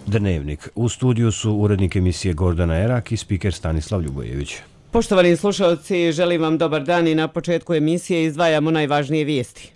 Dnevnik. U studiju su urednik emisije Gordana Erak i spiker Stanislav Ljubojević. Poštovani slušalci, želim vam dobar dan i na početku emisije izdvajamo najvažnije vijesti.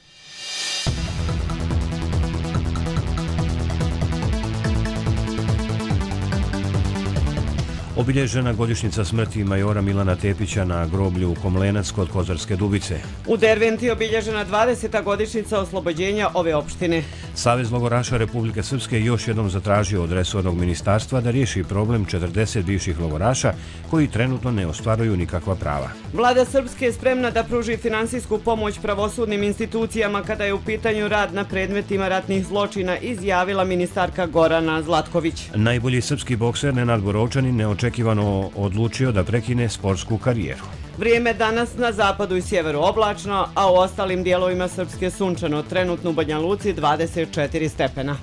Obilježena godišnjica smrti majora Milana Tepića na groblju Komlenac kod Kozarske Dubice. U Derventi obilježena 20. godišnjica oslobođenja ove opštine. Savez logoraša Republike Srpske još jednom zatražio od resornog ministarstva da riješi problem 40 bivših logoraša koji trenutno ne ostvaruju nikakva prava. Vlada Srpske je spremna da pruži finansijsku pomoć pravosudnim institucijama kada je u pitanju rad na predmetima ratnih zločina, izjavila ministarka Gorana Zlatković. Najbolji srpski bokser Nenad Borovčanin neočekivano odlučio da prekine sportsku karijeru. Vrijeme danas na zapadu i sjeveru oblačno, a u ostalim dijelovima Srpske sunčano, trenutno u Banja Luci 24 stepena.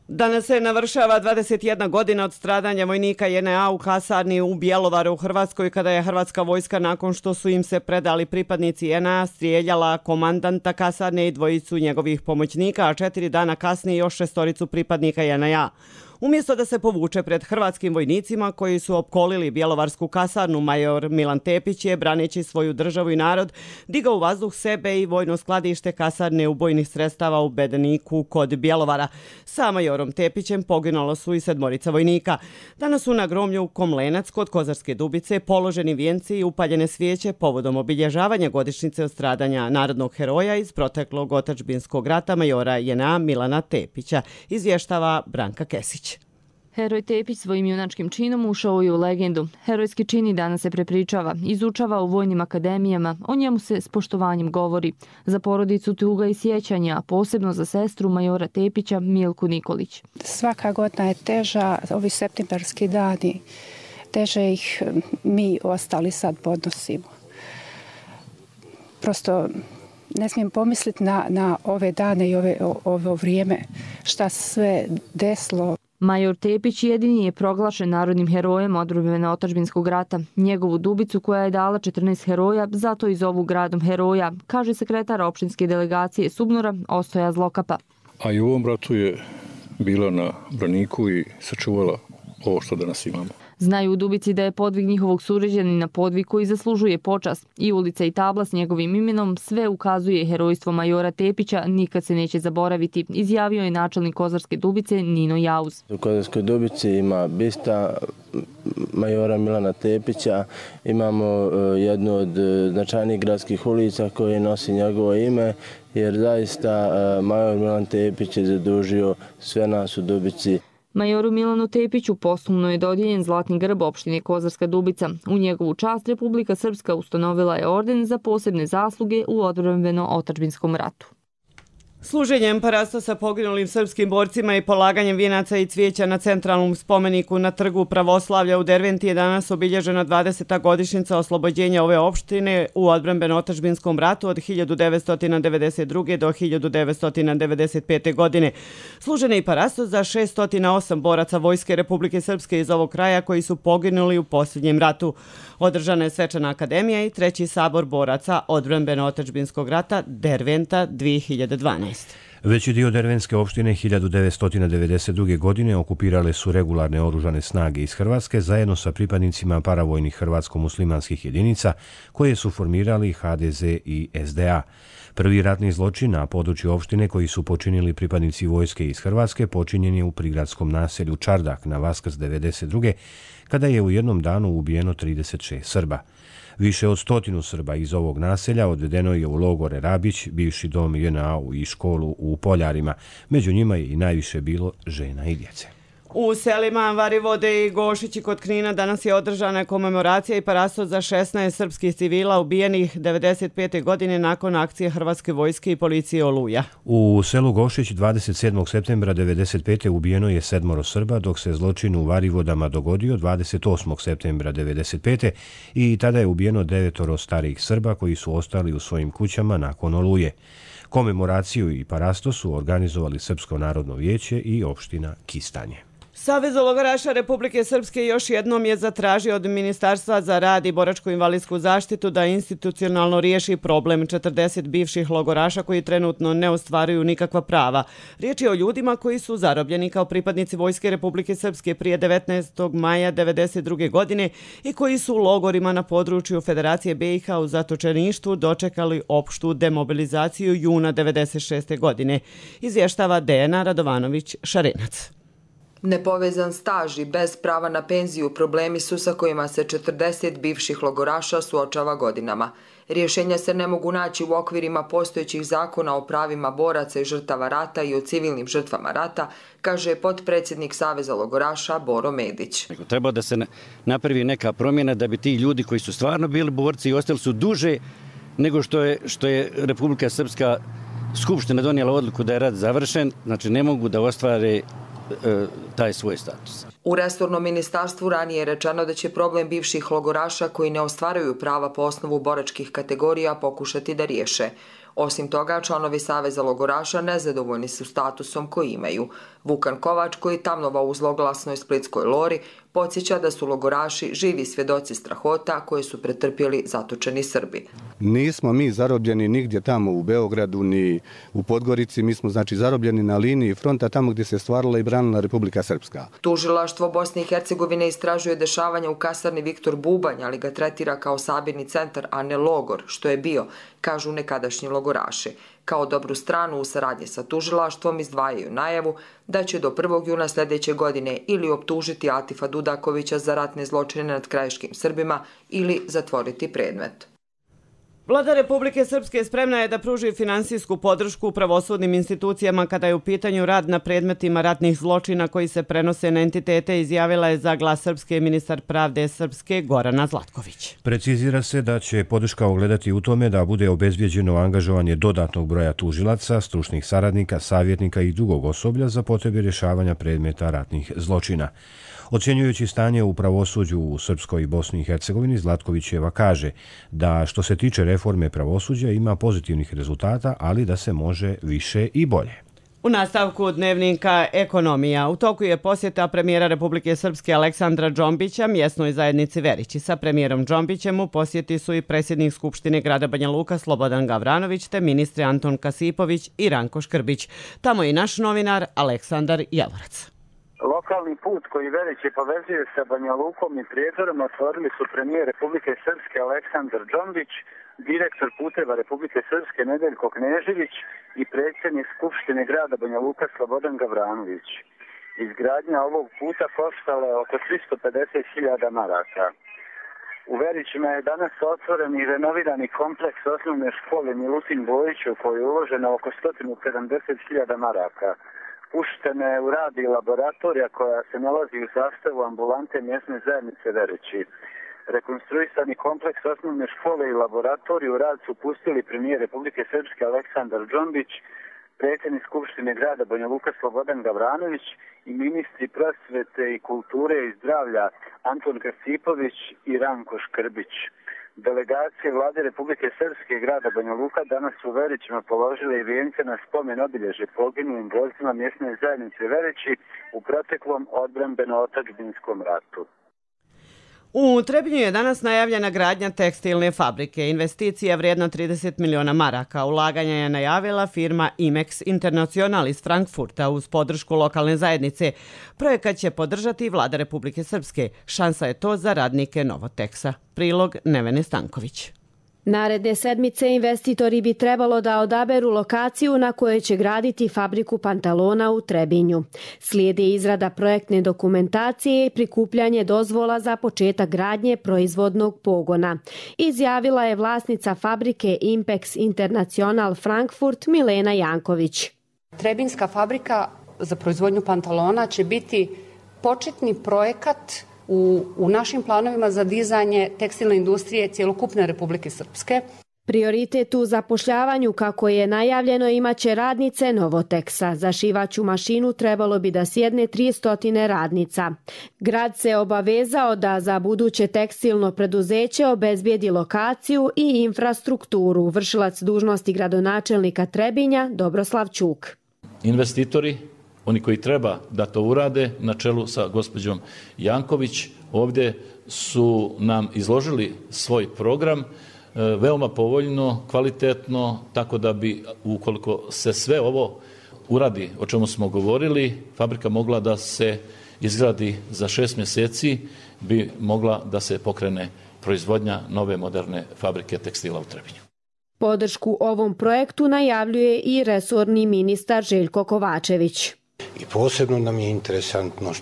Danas se navršava 21 godina od stradanja vojnika JNA u kasarni u Bjelovaru u Hrvatskoj, kada je hrvatska vojska, nakon što su im se predali pripadnici JNA, strijeljala komandanta kasarne i dvojicu njegovih pomoćnika, a 4 dana kasnije još 6 pripadnika JNA. Umjesto da se povuče pred hrvatskim vojnicima koji su opkolili bjelovarsku kasarnu, major Milan Tepić je, braneći svoju državu i narod, digao u vazduh sebe i vojno skladište kasarne ubojnih sredstava u Bedeniku kod Bjelovara. Sa majorom Tepićem poginulo su i 7 vojnika. Danas su na groblju Komlenac kod Kozarske Dubice položeni vijenci i upaljene svijeće povodom obilježavanja godišnjice od stradanja narodnog heroja iz proteklog otadžbinskog rata majora JNA Milana Tepića, izvještava Branka Kesić. Heroj Tepić svojim junačkim činom ušao je u legendu. Herojski čin i danas se prepričava, izučava u vojnim akademijama, o njemu se s poštovanjem govori. Za porodicu tuga i sjećanja, a posebno za sestru majora Tepića Milku Nikolić. Svaka godina je teža, ovi septembarski dani, teže ih mi ostali sad podnosimo. Prosto ne smijem pomisliti na ove dane i ovo vrijeme, šta se sve desilo. Major Tepić jedini je proglašen narodnim herojem odbrane otadžbinskog rata. Njegovu Dubicu, koja je dala 14 heroja, zato i zovu gradom heroja, kaže sekretar opštinske delegacije Subnora Ostoja Zlokapa. A i u ovom ratu je bila na braniku i sačuvala ovo što danas imamo. Znaju u Dubici da je podvig njihovog suređanina podvig koji zaslužuje počast. I ulica i tabla s njegovim imenom sve ukazuje herojstvo majora Tepića, nikad se neće zaboraviti, izjavio je načelnik Kozarske Dubice Nino Jauz. U Kozarskoj Dubici ima bista majora Milana Tepića, imamo jednu od značajnijih gradskih ulica koje nosi njegovo ime, jer zaista major Milan Tepić je zadužio sve nas u Dubici. Majoru Milanu Tepiću posthumno je dodijeljen zlatni grb opštine Kozarska Dubica. U njegovu čast Republika Srpska ustanovila je orden za posebne zasluge u odbrambeno-otadžbinskom ratu. Služenjem parasta sa poginulim srpskim borcima i polaganjem vijenaca i cvijeća na centralnom spomeniku na trgu Pravoslavlja u Derventi je danas obilježena 20. godišnjica oslobođenja ove opštine u odbrambeno-otadžbinskom ratu od 1992. do 1995. godine. Služen je i parastos za 608 boraca Vojske Republike Srpske iz ovog kraja koji su poginuli u posljednjem ratu. Održana je svečana akademija i 3. sabor boraca odbrambeno-otadžbinskog rata Derventa 2012. Veći dio dervenske opštine 1992. godine okupirale su regularne oružane snage iz Hrvatske zajedno sa pripadnicima paravojnih hrvatsko-muslimanskih jedinica koje su formirali HDZ i SDA. Prvi ratni zločin na području opštine koji su počinili pripadnici vojske iz Hrvatske počinjen je u prigradskom naselju Čardak na Vaskrs 1992. kada je u jednom danu ubijeno 36 Srba. Više od 100 Srba iz ovog naselja odvedeno je u logore Rabić, bivši dom JNA i školu u Poljarima. Među njima je i najviše bilo žena i djece. U selima Varivode i Gošići kod Knina danas je održana komemoracija i parastos za 16 srpskih civila ubijenih 1995. godine nakon akcije Hrvatske vojske i policije Oluja. U selu Gošić 27. septembra 1995. ubijeno je 7 Srba, dok se zločin u Varivodama dogodio 28. septembra 1995. i tada je ubijeno 9 starijih Srba koji su ostali u svojim kućama nakon Oluje. Komemoraciju i parastos su organizovali Srpsko narodno vijeće i opština Kistanje. Savez logoraša Republike Srpske još jednom je zatražio od Ministarstva za rad i boračko-invalidsku zaštitu da institucionalno riješi problem 40 bivših logoraša koji trenutno ne ostvaruju nikakva prava. Riječ je o ljudima koji su zarobljeni kao pripadnici Vojske Republike Srpske prije 19. maja 1992. godine i koji su u logorima na području Federacije BiH u zatočeništvu dočekali opštu demobilizaciju juna 1996. godine. Izvještava Dejana Radovanović-Šarenac. Nepovezan staž i bez prava na penziju problemi su sa kojima se 40 bivših logoraša suočava godinama. Rješenja se ne mogu naći u okvirima postojećih zakona o pravima boraca i žrtava rata i o civilnim žrtvama rata, kaže potpredsjednik Saveza logoraša Boro Medić. Treba da se napravi neka promjena da bi ti ljudi koji su stvarno bili borci i ostali su duže nego što je Republika Srpska skupština donijela odluku da je rat završen, znači ne mogu da ostvare taj svoj status. U resornom ministarstvu ranije je rečeno da će problem bivših logoraša koji ne ostvaruju prava po osnovu boračkih kategorija pokušati da riješe. Osim toga, članovi Saveza logoraša nezadovoljni su statusom koji imaju. Vukan Kovač, koji tamnova u zloglasnoj Splitskoj Lori, podsjeća da su logoraši živi svjedoci strahota koje su pretrpjeli zatočeni Srbi. Nismo mi zarobljeni nigdje tamo u Beogradu ni u Podgorici, mi smo znači zarobljeni na liniji fronta tamo gdje se stvarala i branila Republika Srpska. Tužilaštvo Bosne i Hercegovine istražuje dešavanja u kasarni Viktor Bubanj, ali ga tretira kao sabirni centar, a ne logor, što je bio, kažu nekadašnji logoraši. Kao dobru stranu u saradnji sa tužilaštvom izdvajaju najavu da će do 1. juna sljedeće godine ili optužiti Atifa Dudakovića za ratne zločine nad krajiškim Srbima ili zatvoriti predmet. Vlada Republike Srpske spremna je da pruži finansijsku podršku pravosudnim institucijama kada je u pitanju rad na predmetima ratnih zločina koji se prenose na entitete, izjavila je za Glas Srpske ministar pravde Srpske Gorana Zlatković. Precizira se da će podrška ogledati u tome da bude obezbijeđeno angažovanje dodatnog broja tužilaca, stručnih saradnika, savjetnika i drugog osoblja za potrebe rješavanja predmeta ratnih zločina. Ocjenjujući stanje u pravosuđu u Srpskoj i Bosni i Hercegovini, Zlatkovićeva kaže da što se tiče reforme pravosuđa ima pozitivnih rezultata, ali da se može više i bolje. U nastavku dnevnika Ekonomija. U toku je posjeta premijera Republike Srpske Aleksandra Džombića mjesnoj zajednici Verići. Sa premijerom Džombićem u posjeti su i predsjednik Skupštine grada Banja Luka Slobodan Gavranović te ministri Anton Kasipović i Ranko Škrbić. Tamo je i naš novinar Aleksandar Javorac. Lokalni put koji Verići povezuje sa Banja Lukom i Prijedorom otvorili su premijer Republike Srpske Aleksandar Džombić, direktor puteva Republike Srpske Nedeljko Knežević i predsjednik Skupštine grada Banja Luka Slobodan Gavranović. Izgradnja ovog puta koštala je oko 350.000 maraka. U Verićima je danas otvoren i renovirani kompleks osnovne škole Milutin Bojić u kojoj je uloženo oko 170.000 maraka. Puštena je u rad i laboratorija koja se nalazi u sastavu ambulante mjesne zajednice Verići. Rekonstruisani kompleks osnovne škole i laboratoriju u rad su pustili premijer Republike Srpske Aleksandar Džombić, predsjednik Skupštine grada Banja Luka Slobodan Gavranović i ministri prosvete i kulture i zdravlja Anton Kasipović i Ranko Škrbić. Delegacije vlade Republike Srpske i grada Banja Luka danas u Verićima položile i vijence na spomen obilježje poginulim borcima mjesne zajednice Verići u proteklom odbrambeno-otadžbinskom ratu. U Trebinju je danas najavljena gradnja tekstilne fabrike. Investicija vrijedna 30 miliona maraka. Ulaganja je najavila firma Imex International iz Frankfurta uz podršku lokalne zajednice. Projekat će podržati vlada Republike Srpske. Šansa je to za radnike Novoteksa. Prilog Nevene Stanković. Naredne sedmice investitori bi trebalo da odaberu lokaciju na kojoj će graditi fabriku pantalona u Trebinju. Slijedi izrada projektne dokumentacije i prikupljanje dozvola za početak gradnje proizvodnog pogona. Izjavila je vlasnica fabrike Impex International Frankfurt Milena Janković. Trebinska fabrika za proizvodnju pantalona će biti početni projekat u našim planovima za dizanje tekstilne industrije cjelokupne Republike Srpske. Prioritet u zapošljavanju, kako je najavljeno, imaće radnice Novoteksa. Za šivaću mašinu trebalo bi da sjedne 300 radnica. Grad se obavezao da za buduće tekstilno preduzeće obezbijedi lokaciju i infrastrukturu. Vršilac dužnosti gradonačelnika Trebinja Dobroslav Ćuk. Investitori oni koji treba da to urade, na čelu sa gospođom Janković, ovdje su nam izložili svoj program, veoma povoljno, kvalitetno, tako da bi, ukoliko se sve ovo uradi, o čemu smo govorili, fabrika mogla da se izgradi za 6 mjeseci, bi mogla da se pokrene proizvodnja nove moderne fabrike tekstila u Trebinju. Podršku ovom projektu najavljuje i resorni ministar Željko Kovačević. I posebno nam je interesantno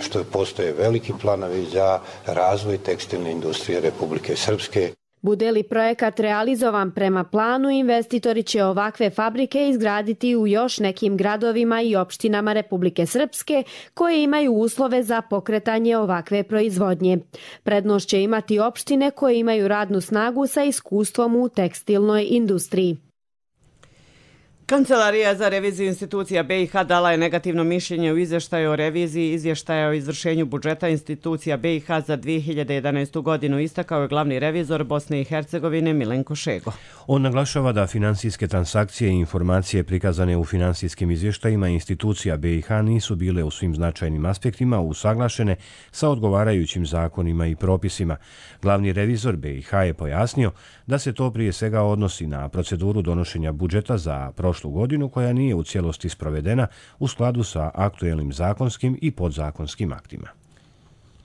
što postoje veliki planovi za razvoj tekstilne industrije Republike Srpske. Bude li projekat realizovan prema planu, investitori će ovakve fabrike izgraditi u još nekim gradovima i opštinama Republike Srpske koje imaju uslove za pokretanje ovakve proizvodnje. Prednost će imati opštine koje imaju radnu snagu sa iskustvom u tekstilnoj industriji. Kancelarija za reviziju institucija BiH dala je negativno mišljenje u izvještaju o reviziji izvještaja o izvršenju budžeta institucija BiH za 2011. godinu, istakao je glavni revizor Bosne i Hercegovine Milenko Šego. On naglašava da finansijske transakcije i informacije prikazane u finansijskim izvještajima institucija BiH nisu bile u svim značajnim aspektima usaglašene sa odgovarajućim zakonima i propisima. Glavni revizor BiH je pojasnio da se to prije svega odnosi na proceduru donošenja budžeta za prošlu godinu koja nije u cijelosti sprovedena u skladu sa aktuelnim zakonskim i podzakonskim aktima.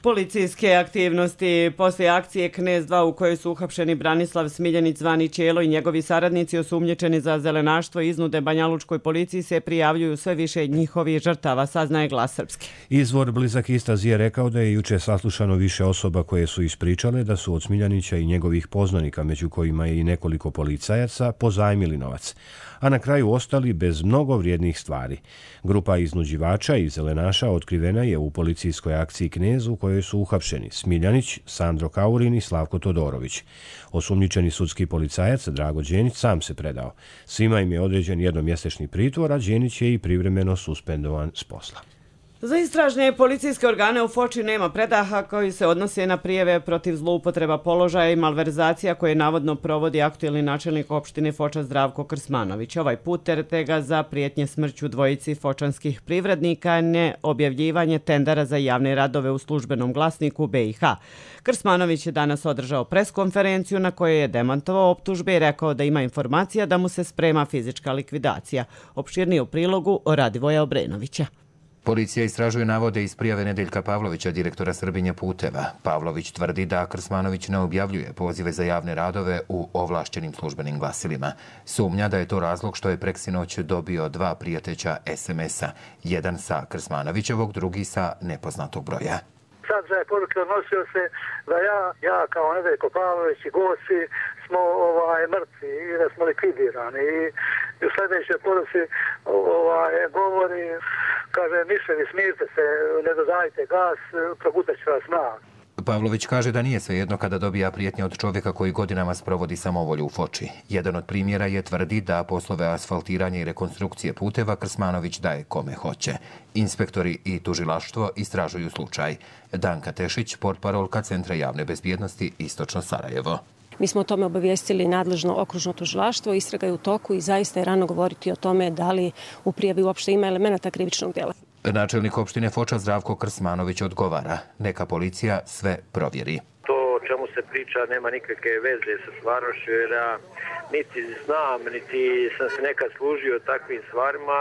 Policijske aktivnosti poslije akcije Knez 2 u kojoj su uhapšeni Branislav Smiljanić zvani Ćelo i njegovi saradnici osumnjičeni za zelenaštvo i iznude banjalučkoj policiji se prijavljuju sve više njihovih žrtava, saznaje Glas Srpske. Izvor blizak istrazi je rekao da je juče saslušano više osoba koje su ispričale da su od Smiljanića i njegovih poznanika, među kojima je i nekoliko policajaca, pozajmili novac, a na kraju ostali bez mnogo vrijednih stvari. Grupa iznuđivača i zelenaša otkrivena je u policijskoj akciji Knez u kojoj su uhapšeni Smiljanić, Sandro Kaurin i Slavko Todorović. Osumnjičeni sudski policajac Drago Đenić sam se predao. Svima im je određen jednomjesečni pritvor, a Đenić je i privremeno suspendovan s posla. Za istražne policijske organe u Foči nema predaha koji se odnose na prijeve protiv zloupotreba položaja i malverzacija koje navodno provodi aktuelni načelnik opštine Foča Zdravko Krsmanović. Ovaj put terete ga za prijetnje smrću dvojici fočanskih privrednika, ne objavljivanje tendera za javne radove u službenom glasniku BiH. Krsmanović je danas održao preskonferenciju na kojoj je demantovao optužbe i rekao da ima informacija da mu se sprema fizička likvidacija. Opširnije u prilogu Radivoja Obrenovića. Policija istražuje navode iz prijave Nedeljka Pavlovića, direktora Srbinje puteva. Pavlović tvrdi da Krsmanović ne objavljuje pozive za javne radove u ovlašćenim službenim glasilima. Sumnja da je to razlog što je preksinoć dobio 2 prijateća SMS-a. Jedan sa Krsmanovićevog, drugi sa nepoznatog broja. Sadržaj poruke odnosio se da ja kao Nedeljko Pavlović i gosti smo mrtvi i da smo likvidirani. I u sljedećoj poruci govori, kaže, miševi, smirite se, ne dodajte gas, probutat će vas mrak. Pavlović kaže da nije svejedno kada dobija prijetnje od čovjeka koji godinama sprovodi samovolju u Foči. Jedan od primjera je tvrdi da poslove asfaltiranja i rekonstrukcije puteva Krsmanović daje kome hoće. Inspektori i tužilaštvo istražuju slučaj. Danka Tešić, portparolka Centra javne bezbjednosti Istočno Sarajevo. Mi smo o tome obavijestili nadležno okružno tužilaštvo, istraga je u toku i zaista je rano govoriti o tome da li u prijavi uopšte ima elemenata krivičnog djela. Načelnik opštine Foča Zdravko Krsmanović odgovara. Neka policija sve provjeri. To o čemu se priča nema nikakve veze sa stvarnošću, jer ja niti znam, niti sam se nekad služio takvim stvarima.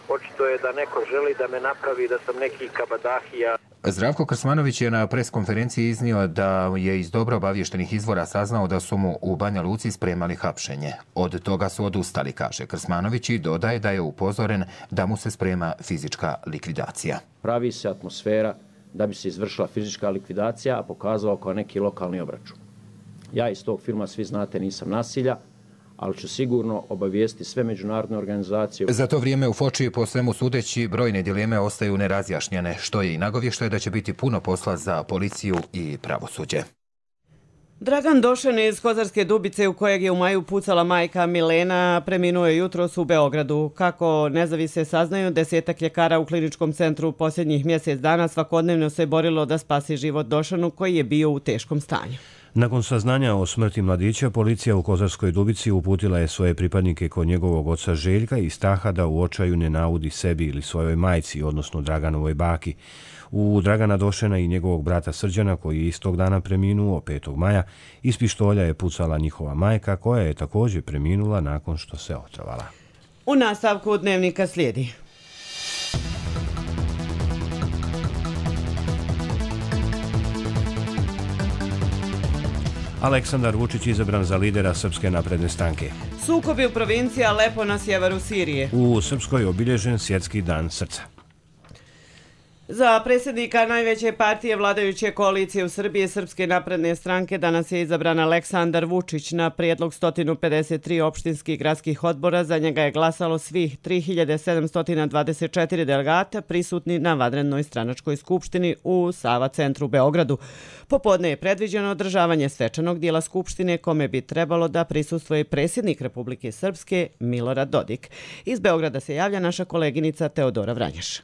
Očito je da neko želi da me napravi da sam neki kabadahija. Zdravko Krsmanović je na preskonferenciji iznio da je iz dobro obavještenih izvora saznao da su mu u Banja Luci spremali hapšenje. Od toga su odustali, kaže Krsmanović, i dodaje da je upozoren da mu se sprema fizička likvidacija. Pravi se atmosfera da bi se izvršila fizička likvidacija, a pokazao kao neki lokalni obračun. Ja iz tog filma, svi znate, nisam nasilja, ali ću sigurno obavijesti sve međunarodne organizacije. Za to vrijeme u Foči, po svemu sudeći, brojne dileme ostaju nerazjašnjene, što je i nagovještaj da će biti puno posla za policiju i pravosuđe. Dragan Došen iz Kozarske Dubice, u kojeg je u maju pucala majka Milena, preminuo je jutros u Beogradu. Kako nezavise saznaju, 10 ljekara u kliničkom centru posljednjih mjesec dana svakodnevno se borilo da spasi život Došanu, koji je bio u teškom stanju. Nakon saznanja o smrti mladića, policija u Kozarskoj Dubici uputila je svoje pripadnike kod njegovog oca Željka i straha da u očaju ne naudi sebi ili svojoj majci, odnosno Draganovoj baki. U Dragana Došena i njegovog brata Srđana, koji je istog dana preminuo 5. maja, iz pištolja je pucala njihova majka, koja je također preminula nakon što se otrovala. U nastavku dnevnika slijedi. Aleksandar Vučić izabran za lidera Srpske napredne stranke. Sukobi u provinciji Alepo na sjeveru Sirije. U Srpskoj obilježen svjetski dan srca. Za predsjednika najveće partije vladajuće koalicije u Srbiji Srpske napredne stranke danas je izabran Aleksandar Vučić. Na prijedlog 153 opštinskih gradskih odbora za njega je glasalo svih 3724 delegata prisutni na vanrednoj stranačkoj skupštini u Sava centru u Beogradu. Popodne je predviđeno održavanje svečanog dijela skupštine kome bi trebalo da prisustvuje predsjednik Republike Srpske Milorad Dodik. Iz Beograda se javlja naša koleginica Teodora Vranješ.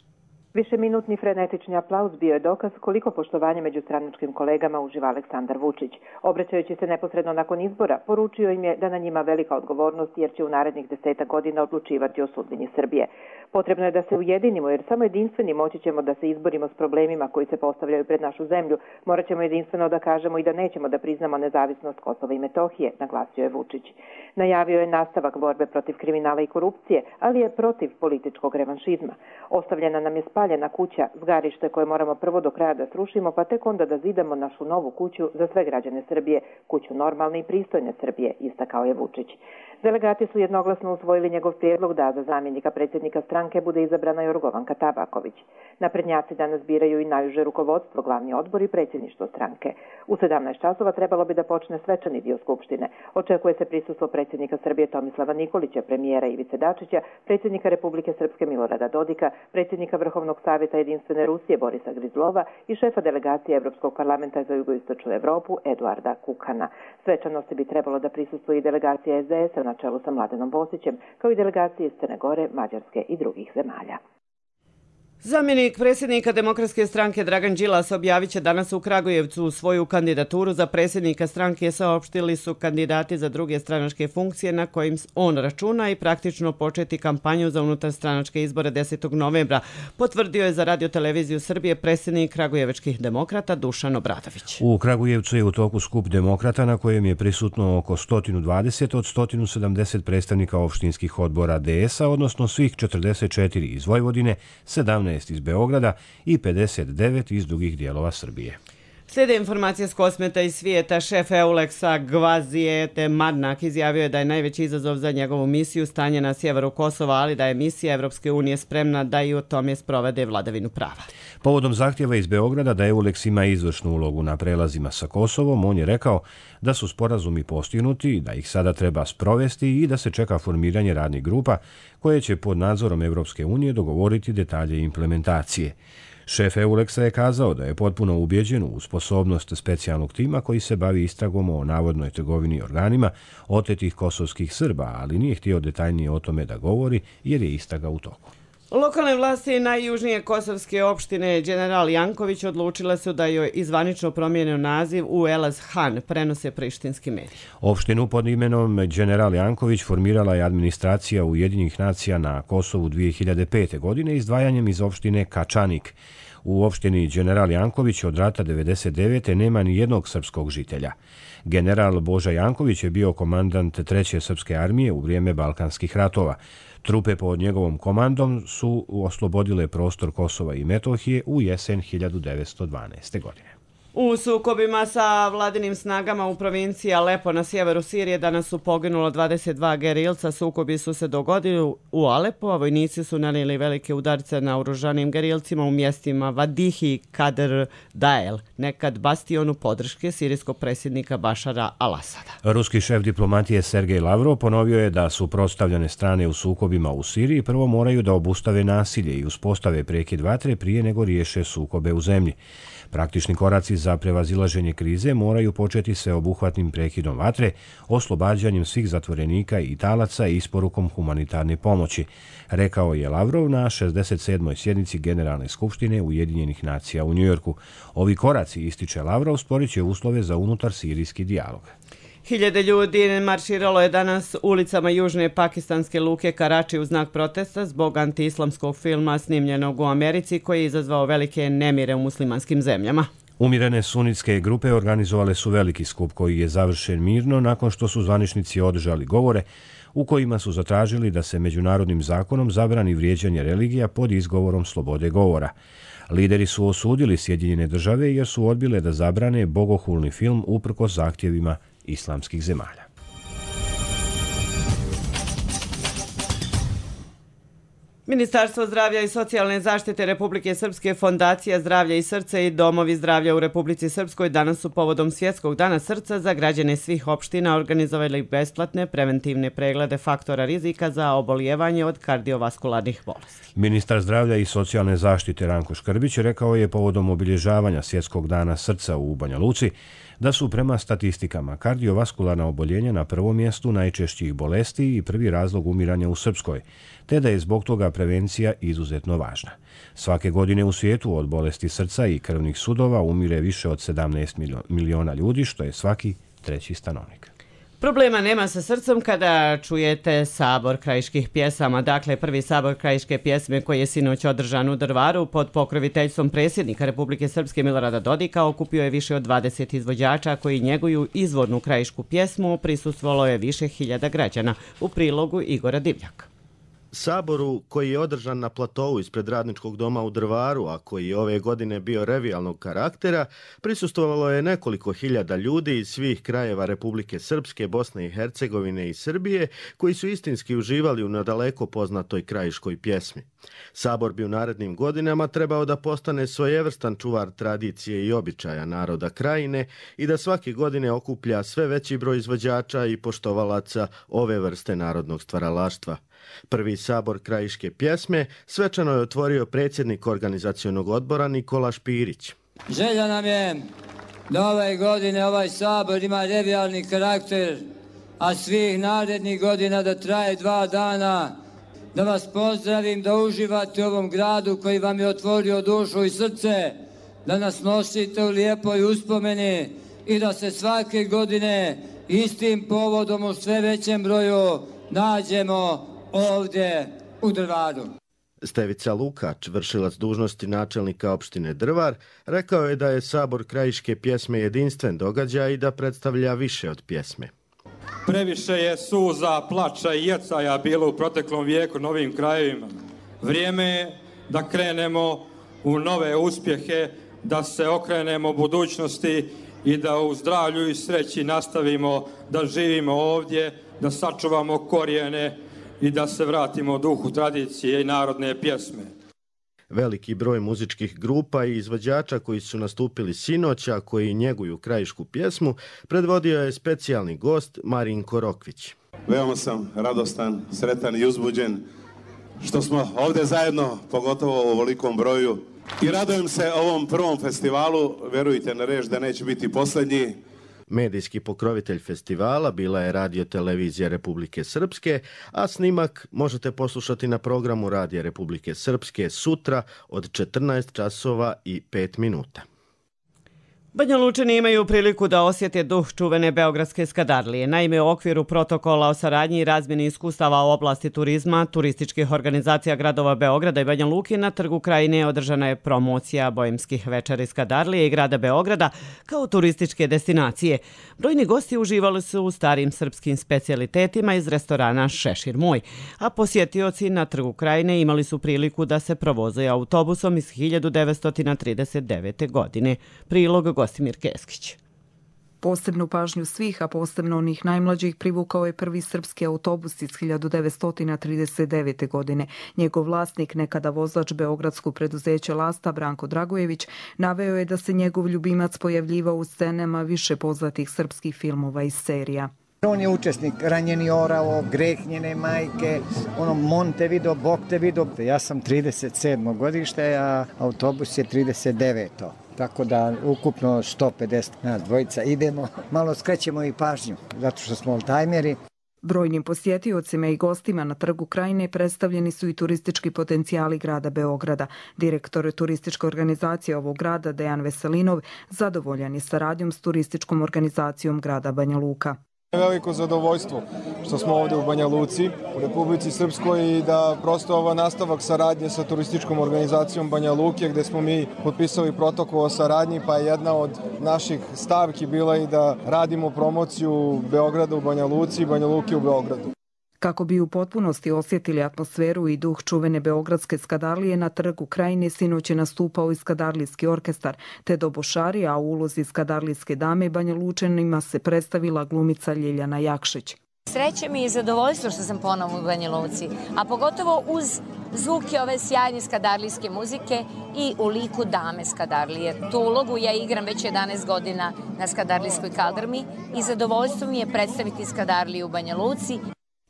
Višeminutni frenetični aplauz bio je dokaz koliko poštovanja među stranačkim kolegama uživa Aleksandar Vučić. Obraćajući se neposredno nakon izbora, poručio im je da na njima velika odgovornost jer će u narednih 10 godina odlučivati o sudbini Srbije. Potrebno je da se ujedinimo jer samo jedinstveni moći ćemo da se izborimo s problemima koji se postavljaju pred našu zemlju. Morat ćemo jedinstveno da kažemo i da nećemo da priznamo nezavisnost Kosova i Metohije, naglasio je Vučić. Najavio je nastavak borbe protiv kriminala i korupcije, ali je protiv političkog revanšizma. Ostavljena nam je spaljena kuća, zgarište koje moramo prvo do kraja da srušimo, pa tek onda da zidamo našu novu kuću za sve građane Srbije, kuću normalne i pristojne Srbije, istakao je Vučić. Delegati su jednoglasno usvojili njegov prijedlog da za zamjenika predsjednika stranke bude izabrana Jorgovanka Tabaković. Naprednjaci danas biraju i najuže rukovodstvo, glavni odbor i predsjedništvo stranke. U 17 časova trebalo bi da počne svečani dio skupštine. Očekuje se prisustvo predsjednika Srbije Tomislava Nikolića, premijera Ivice Dačića, predsjednika Republike Srpske Milorada Dodika, predsjednika Vrhovnog savjeta Jedinstvene Rusije Borisa Grizlova i šefa delegacije Evropskog parlamenta za jugoistočnu Evropu Eduarda Kukana. Svečanosti bi trebalo da prisustvuje i delegacija SDS-a na čelu sa Mladenom Bosićem, kao i delegacije iz Crne Gore, Mađarske i drugih zemalja. Zamjenik predsjednika Demokratske stranke Dragan Đilas objavit će danas u Kragujevcu svoju kandidaturu za predsjednika stranke. Saopštili su kandidati za druge stranačke funkcije na kojim on računa i praktično početi kampanju za unutarstranačke izbore 10. novembra, potvrdio je za Radio-televiziju Srbije predsjednik Kragujevačkih demokrata Dušan Obradović. U Kragujevcu je u toku skup demokrata na kojem je prisutno oko 120 od 170 predstavnika opštinskih odbora DS-a, odnosno svih 44 iz Vojvodine, 17 iz Beograda i 59 iz drugih dijelova Srbije. Slijede informacije s kosmeta i svijeta. Šef Euleksa Gvazijete Marnak izjavio je da je najveći izazov za njegovu misiju stanje na sjeveru Kosova, ali da je misija Evropske unije spremna da i u tome sprovede vladavinu prava. Povodom zahtjeva iz Beograda da Euleks ima izvršnu ulogu na prelazima sa Kosovom, on je rekao da su sporazumi postignuti, da ih sada treba sprovesti i da se čeka formiranje radnih grupa koje će pod nadzorom Evropske unije dogovoriti detalje implementacije. Šef Euleksa je kazao da je potpuno ubjeđen u sposobnost specijalnog tima koji se bavi istragom o navodnoj trgovini organima otetih kosovskih Srba, ali nije htio detaljnije o tome da govori jer je istraga u toku. Lokalne vlasti najjužnije kosovske opštine General Janković odlučile su da joj izvanično promijenio naziv u Elaz Han, prenose prištinski mediji. Opštinu pod imenom General Janković formirala je administracija Ujedinjenih nacija na Kosovu 2005. godine izdvajanjem iz opštine Kačanik. U opštini General Janković od rata 1999. nema ni jednog srpskog žitelja. General Boža Janković je bio komandant 3. srpske armije u vrijeme Balkanskih ratova. Trupe pod njegovom komandom su oslobodile prostor Kosova i Metohije u jesen 1912. godine. U sukobima sa vladinim snagama u provinciji Alepo na sjeveru Sirije danas su poginulo 22 gerilca. Sukobi su se dogodili u Alepo, a vojnici su nanijeli velike udarce na oružanim gerilcima u mjestima Vadihi i Kader Dael, nekad bastionu podrške sirijskog predsjednika Bašara al-Asada. Ruski šef diplomatije Sergej Lavrov ponovio je da suprotstavljene strane u sukobima u Siriji prvo moraju da obustave nasilje i uspostave prekid vatre prije nego riješe sukobe u zemlji. Praktični koraci za za prevazilaženje krize moraju početi sveobuhvatnim prekidom vatre, oslobađanjem svih zatvorenika i talaca i isporukom humanitarne pomoći, rekao je Lavrov na 67. sjednici Generalne skupštine Ujedinjenih nacija u Njujorku. Ovi koraci, ističe Lavrov, stvorit će uslove za unutar sirijski dijalog. Hiljade ljudi marširalo je danas ulicama južne pakistanske luke Karači u znak protesta zbog antiislamskog filma snimljenog u Americi koji je izazvao velike nemire u muslimanskim zemljama. Umirene sunitske grupe organizovale su veliki skup koji je završen mirno nakon što su zvaničnici održali govore u kojima su zatražili da se međunarodnim zakonom zabrani vrijeđanje religija pod izgovorom slobode govora. Lideri su osudili Sjedinjene države jer su odbile da zabrane bogohulni film uprkos zahtjevima islamskih zemalja. Ministarstvo zdravlja i socijalne zaštite Republike Srpske, Fondacija zdravlja i srca i domovi zdravlja u Republici Srpskoj danas su povodom Svjetskog dana srca za građane svih opština organizovali besplatne preventivne preglede faktora rizika za obolijevanje od kardiovaskularnih bolesti. Ministar zdravlja i socijalne zaštite Ranko Škrbić rekao je povodom obilježavanja Svjetskog dana srca u Banja Luci da su prema statistikama kardiovaskularna oboljenja na prvom mjestu najčešćih bolesti i prvi razlog umiranja u Srpskoj, te da je zbog toga prevencija izuzetno važna. Svake godine u svijetu od bolesti srca i krvnih sudova umire više od 17 miliona ljudi, što je svaki treći stanovnik. Problema nema sa srcem kada čujete sabor krajiških pjesama. Dakle, prvi sabor krajiške pjesme koji je sinoć održan u Drvaru pod pokroviteljstvom predsjednika Republike Srpske Milorada Dodika okupio je više od 20 izvođača koji njeguju izvornu krajišku pjesmu, prisustvovalo je više hiljada građana. U prilogu Igora Divljaka. Saboru koji je održan na platovu ispred Radničkog doma u Drvaru, a koji je ove godine bio revijalnog karaktera, prisustvovalo je nekoliko hiljada ljudi iz svih krajeva Republike Srpske, Bosne i Hercegovine i Srbije, koji su istinski uživali u nadaleko poznatoj krajiškoj pjesmi. Sabor bi u narednim godinama trebao da postane svojevrstan čuvar tradicije i običaja naroda krajine i da svake godine okuplja sve veći broj izvođača i poštovalaca ove vrste narodnog stvaralaštva. Prvi sabor krajiške pjesme svečano je otvorio predsjednik organizacionog odbora Nikola Špirić. Želja nam je da ove godine ovaj sabor ima revijalni karakter, a svih narednih godina da traje 2 dana. Da vas pozdravim, da uživate u ovom gradu koji vam je otvorio dušu i srce, da nas nosite u lijepoj uspomeni i da se svake godine istim povodom u sve većem broju nađemo ovdje u Drvaru. Stevica Lukač, vršilac dužnosti načelnika opštine Drvar, rekao je da je sabor krajiške pjesme jedinstven događaj i da predstavlja više od pjesme. Previše je suza, plača i jecaja bilo u proteklom vijeku na ovim krajevima. Vrijeme je da krenemo u nove uspjehe, da se okrenemo budućnosti i da u zdravlju i sreći nastavimo da živimo ovdje, da sačuvamo korijene i da se vratimo duhu tradicije i narodne pjesme. Veliki broj muzičkih grupa i izvođača koji su nastupili sinoć, a koji njeguju krajišku pjesmu, predvodio je specijalni gost Marinko Rokvić. Veoma sam radostan, sretan i uzbuđen što smo ovdje zajedno, pogotovo u ovolikom broju. I radujem se ovom prvom festivalu, verujte na reč da neće biti posljednji. Medijski pokrovitelj festivala bila je Radio-televizija Republike Srpske, a snimak možete poslušati na programu Radija Republike Srpske sutra od 14 časova i 5 minuta. Banja Lučani imaju priliku da osjete duh čuvene Beogradske skadarlije. Naime, u okviru protokola o saradnji i razmjeni iskustava u oblasti turizma, turističkih organizacija gradova Beograda i Banja Luke na Trgu Krajine održana je promocija Bojemskih večeri skadarlije i grada Beograda kao turističke destinacije. Brojni gosti uživali su u starim srpskim specijalitetima iz restorana Šešir moj, a posjetioci na Trgu Krajine imali su priliku da se provoze autobusom iz 1939. godine. Prilog Gostimir Keskić. Posebnu pažnju svih, a posebno onih najmlađih, privukao je prvi srpski autobus iz 1939. godine. Njegov vlasnik, nekada vozač beogradskog preduzeća Lasta, Branko Dragojević, naveo je da se njegov ljubimac pojavljivao u scenama više poznatih srpskih filmova i serija. On je učesnik Ranjeni orao, Greh njene majke, Montevideo, Bog te vidio. Ja sam 37. godište, a autobus je 39. tako da ukupno 150 nas dvojica idemo. Malo skrećemo i pažnju, zato što smo oldtimeri. Brojnim posjetiocima i gostima na Trgu Krajine predstavljeni su i turistički potencijali grada Beograda. Direktor turističke organizacije ovog grada, Dejan Veselinov, zadovoljan je saradnjom s turističkom organizacijom grada Banja Luka. Veliko zadovoljstvo što smo ovdje u Banja Luci, u Republici Srpskoj, i da prosto ovo nastavak saradnje sa turističkom organizacijom Banja Luke, gdje smo mi potpisali protokol o saradnji, pa je jedna od naših stavki bila i da radimo promociju Beograda u Banja Luci i Banja Luke u Beogradu. Kako bi u potpunosti osjetili atmosferu i duh čuvene beogradske skadarlije, na Trgu Krajine sinoć je nastupao i skadarlijski orkestar, te dobošari, a u ulozi skadarlijske dame Banja Lučanima se predstavila glumica Ljiljana Jakšić. Sreće mi i zadovoljstvo što sam ponovo u Banja Luci, a pogotovo uz zvuke ove sjajne skadarlijske muzike i u liku dame skadarlije. Tu ulogu ja igram već 11 godina na skadarlijskoj kaldrmi i zadovoljstvo mi je predstaviti skadarliju u Banja Luci.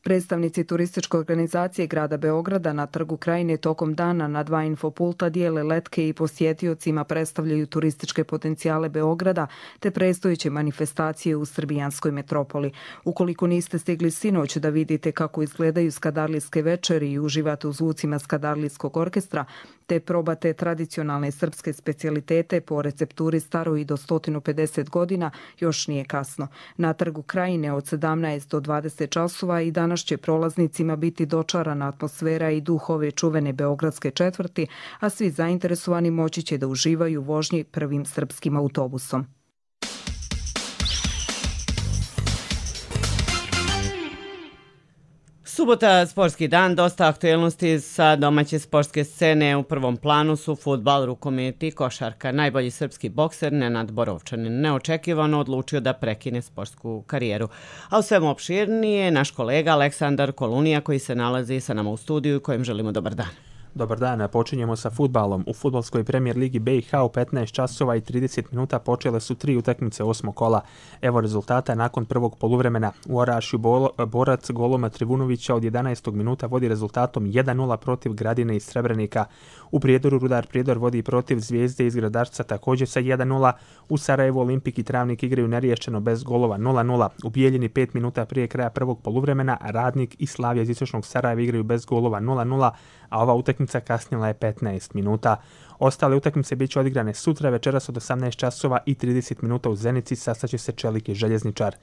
Predstavnici turističke organizacije grada Beograda na Trgu Krajine tokom dana na 2 infopulta dijele letke i posjetiocima predstavljaju turističke potencijale Beograda te predstojeće manifestacije u srbijanskoj metropoli. Ukoliko niste stigli sinoć da vidite kako izgledaju skadarlijske večeri i uživate u zvucima skadarlijskog orkestra, te probate tradicionalne srpske specijalitete po recepturi staroj i do 150 godina, još nije kasno. Na Trgu Krajine od 17 do 20 časova i danas će prolaznicima biti dočarana atmosfera i duh ove čuvene beogradske četvrti, a svi zainteresovani moći će da uživaju u vožnji prvim srpskim autobusom. Subota, sportski dan, dosta aktuelnosti sa domaće sportske scene. U prvom planu su fudbal, rukomet i košarka. Najbolji srpski bokser Nenad Borovčanin neočekivano odlučio da prekine sportsku karijeru. A u svemu opširnije naš kolega Aleksandar Kolunija koji se nalazi sa nama u studiju i kojem želimo dobar dan. Dobar dan, počinjemo sa fudbalom. U fudbalskoj premijer ligi BiH u 15 časova i 30 minuta počele su 3 utakmice 8. kola. Evo rezultata nakon prvog poluvremena. U Orašju borac Goloma Trivunovića od 11. minuta vodi rezultatom 1-0 protiv Gradine iz Srebrenika. U Prijedoru Rudar Prijedor vodi protiv Zvijezde iz Gradarca također sa 1-0. U Sarajevu Olimpik i Travnik igraju neriješeno bez golova 0-0. U Bijeljini 5 minuta prije kraja prvog poluvremena Radnik i Slavija iz Istočnog Sarajeva igraju bez golova 0-0, a ova utakmica kasnila je 15 minuta. Ostale utakmice bit će odigrane sutra večeras od 18 časova i 30 minuta u Zenici, sastaće se Čelik i Željezničar.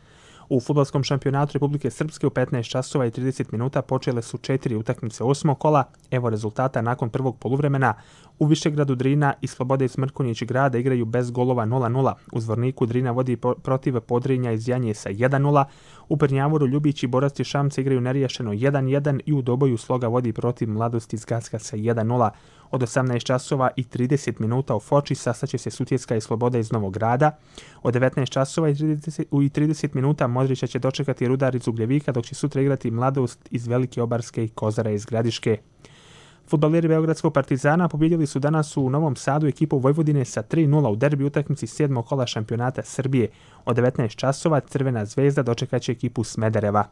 U fudbalskom šampionatu Republike Srpske u 15 časova i 30 minuta počele su 4 utakmice 8. kola. Evo rezultata nakon prvog poluvremena. U Višegradu Drina i Slobode iz Mrkonjić grada igraju bez golova 0-0. U Zvorniku Drina vodi protiv Podrinja iz Janje sa 1-0. U Prnjavoru Ljubić i Borac iz Šamca igraju neriješeno 1-1 i u Doboju Sloga vodi protiv Mladosti iz Gacka sa 1-0. Od 18 časova i 30 minuta u Foči sastaće se Sutjeska i Sloboda iz Novog Grada. Od 19 časova i 30 minuta Modrića će dočekati Rudar iz Ugljevika, dok će sutra igrati Mladost iz Velike Obarske i Kozara iz Gradiške. Fudbaleri Beogradskog Partizana pobjedili su danas u Novom Sadu ekipu Vojvodine sa 3-0 u derbi utakmici 7. kola šampionata Srbije. Od 19 časova Crvena zvezda dočekaće ekipu Smedereva.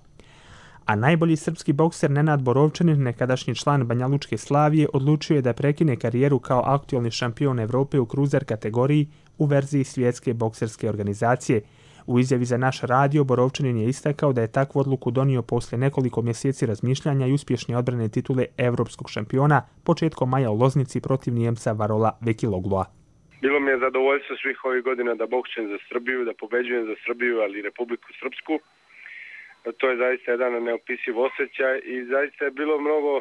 A najbolji srpski bokser Nenad Borovčanin, nekadašnji član Banjalučke Slavije, odlučio je da prekine karijeru kao aktualni šampion Evrope u kruzer kategoriji u verziji svjetske bokserske organizacije. U izjavi za naš radio Borovčanin je istakao da je takvu odluku donio poslije nekoliko mjeseci razmišljanja i uspješne odbrane titule evropskog šampiona početkom maja u Loznici protiv Nijemca Varola Vekilogloa. Bilo mi je zadovoljstvo svih ovih godina da boksujem za Srbiju, da pobeđujem za Srbiju, ali i Republiku Srpsku. To je zaista jedan neopisiv osjećaj i zaista je bilo mnogo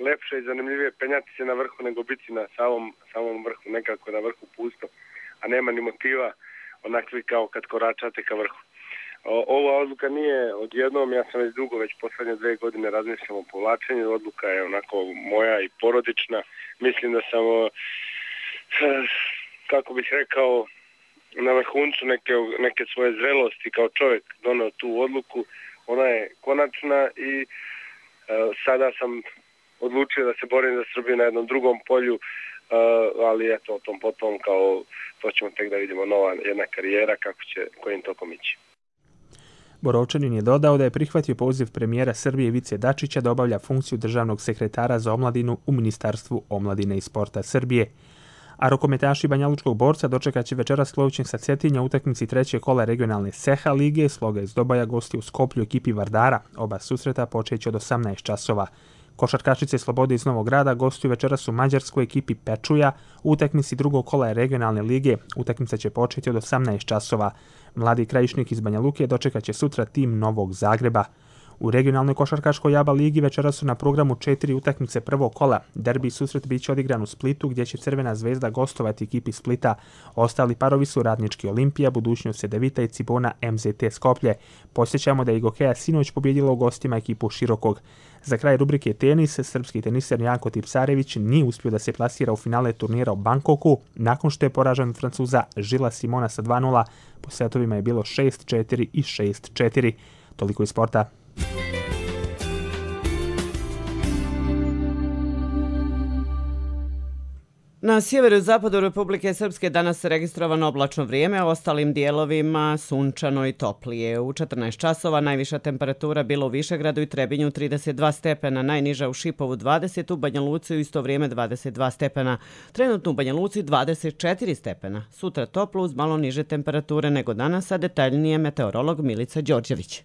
lepše i zanimljivije penjati se na vrhu nego biti na samom vrhu, nekako na vrhu pusto, a nema ni motiva onakvi kao kad koračate ka vrhu. Ova odluka nije odjednom, ja sam već dugo, već poslednje 2 godine razmišljam o povlačenju, odluka je onako moja i porodična. Mislim da sam, kako bih rekao, na vrhuncu neke svoje zrelosti kao čovjek doneo tu odluku. Ona je konačna i sada sam odlučio da se borim za Srbiju na jednom drugom polju, ali eto, o tom potom, kao to ćemo tek da vidimo, nova jedna karijera, kojim tokom ići. Borovčanin je dodao da je prihvatio poziv premijera Srbije Ivice Dačića da obavlja funkciju državnog sekretara za omladinu u Ministarstvu omladine i sporta Srbije. A rukometaši Banjalučkog Borca dočekat će večeras Klovićin sa Cetinja u utakmici trećeg kola regionalne Seha lige. Sloga iz Dobaja gosti u Skoplju ekipi Vardara. Oba susreta počeće od 18 časova. Košarkašice Slobode iz Novog Grada gostuju večeras u mađarskoj ekipi Pečuja u utakmici drugog kola regionalne lige. Utakmica će početi od 18 časova. Mladi Krajišnik iz Banja Luke dočekat će sutra tim Novog Zagreba. U regionalnoj košarkaškoj ABA ligi večeras su na programu 4 utakmice prvog kola. Derbi susret biće odigran u Splitu gdje će Crvena zvezda gostovati ekipi Splita. Ostali parovi su Radnički Olimpija, Budućnost Cedevita i Cibona MZT Skoplje. Posjećamo da je Igokeja sinoć pobjedila u gostima ekipu Širokog. Za kraj rubrike tenis, srpski teniser Janko Tipsarević nije uspio da se plasira u finale turnira u Bangkoku nakon što je poražen od Francuza Žila Simona sa 2:0. Po setovima je bilo 6-4 i 6-4. Toliko iz sporta. Na sjeveru i zapadu Republike Srpske danas je registrovano oblačno vrijeme, a ostalim dijelovima sunčano i toplije. U 14 časova najviša temperatura bila u Višegradu i Trebinju 32 stepena, najniža u Šipovu 20, u Banja Luci u isto vrijeme 22 stepena. Trenutno u Banja Luci 24 stepena. Sutra toplo uz malo niže temperature nego danas, a detaljnije meteorolog Milica Đorđević.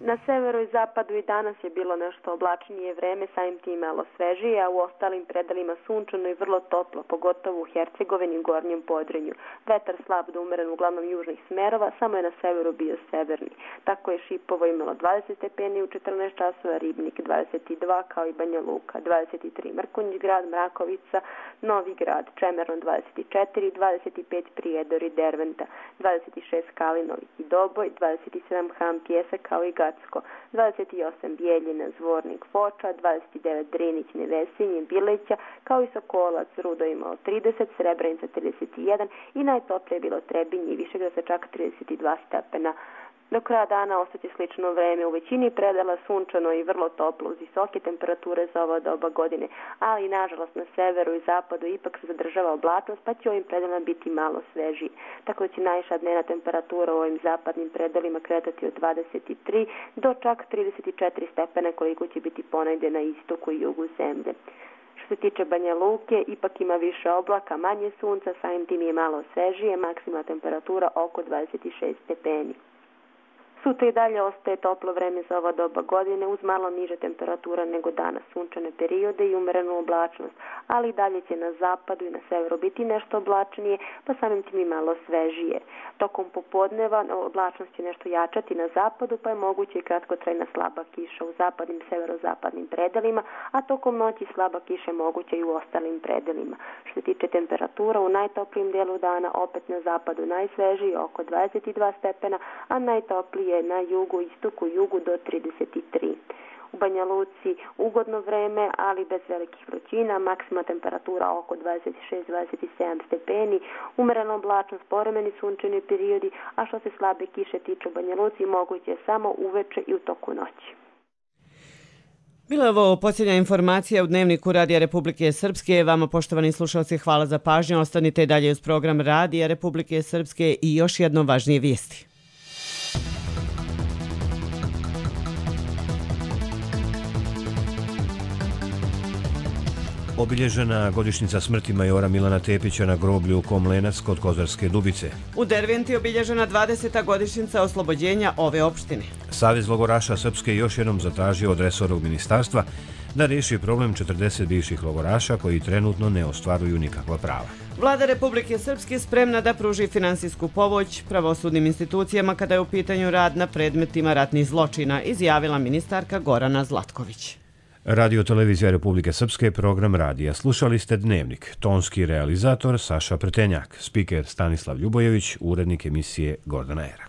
Na severu i zapadu i danas je bilo nešto oblačnije vreme, samim tim malo svežije, a u ostalim predelima sunčano i vrlo toplo, pogotovo u Hercegovini i Gornjem Podrinju. Vetar slab do umeren uglavnom južnih smerova, samo je na severu bio severni. Tako je Šipovo imalo 20 stepeni u 14 časova, Ribnik 22 kao i Banja Luka 23, Mrkonjić grad, Mrakovica, Novi grad, Čemerno 24, 25 Prijedor i Derventa, 26 Kalinović i Doboj, 27 Ham Pjesak kao i 28 Bijeljina, Zvornik, Foča, 29 Drinić, Nevesinje, Bileća, kao i Sokolac, Rudo imao 30, Srebrenica 31 i najtoplije je bilo Trebinje i Višegrad sa čak 32 stepena. Do kraja dana ostaće slično vreme, u većini predela sunčano i vrlo toplo uz visoke temperature za ova doba godine, ali nažalost na severu i zapadu ipak se zadržava oblačnost, pa će ovim predelima biti malo svežiji. Tako da će najviša dnevna temperatura u ovim zapadnim predelima kretati od 23 do čak 34 stepena koliko će biti ponegdje na istoku i jugu zemlje. Što se tiče Banja Luke, ipak ima više oblaka, manje sunca, samim tim je malo svežije, maksimalna temperatura oko 26 stepeni. Sutra i dalje ostaje toplo vreme za ova doba godine uz malo niže temperatura nego danas, sunčane periode i umerenu oblačnost, ali i dalje će na zapadu i na severu biti nešto oblačnije, pa samim tim i malo svežije. Tokom popodneva oblačnost će nešto jačati na zapadu, pa je moguće i kratkotrajna slaba kiša u zapadnim, severozapadnim predelima, a tokom noći slaba kiša je moguća i u ostalim predelima. Što se tiče temperatura, u najtoplijem dijelu dana opet na zapadu najsvežiji oko 22 stepena, a najtoplije na jugu, istoku, jugu do 33. U Banja Luci ugodno vreme, ali bez velikih vrućina, maksimalna temperatura oko 26-27 stepeni, umerena oblačnost, povremeni sunčani periodi, a što se slabe kiše tiče u Banja Luci, moguće je samo uveče i u toku noći. Bila je ovo posljednja informacija u Dnevniku Radija Republike Srpske. Vama, poštovani slušalci, hvala za pažnju. Ostanite dalje uz program Radija Republike Srpske i još jedno važnije vijesti. Obilježena godišnjica smrti majora Milana Tepića na groblju u Komlenac kod Kozarske Dubice. U Derventi obilježena 20. godišnjica oslobođenja ove opštine. Savez logoraša Srpske još jednom zatražio od resornog ministarstva da riješi problem 40 bivših logoraša koji trenutno ne ostvaruju nikakva prava. Vlada Republike Srpske spremna da pruži finansijsku pomoć pravosudnim institucijama kada je u pitanju rad na predmetima ratnih zločina, izjavila ministarka Gorana Zlatković. Radio Televizija Republike Srpske, program radija. Slušali ste Dnevnik. Tonski realizator Saša Pretenjak, spiker Stanislav Ljubojević, urednik emisije Gordana Era.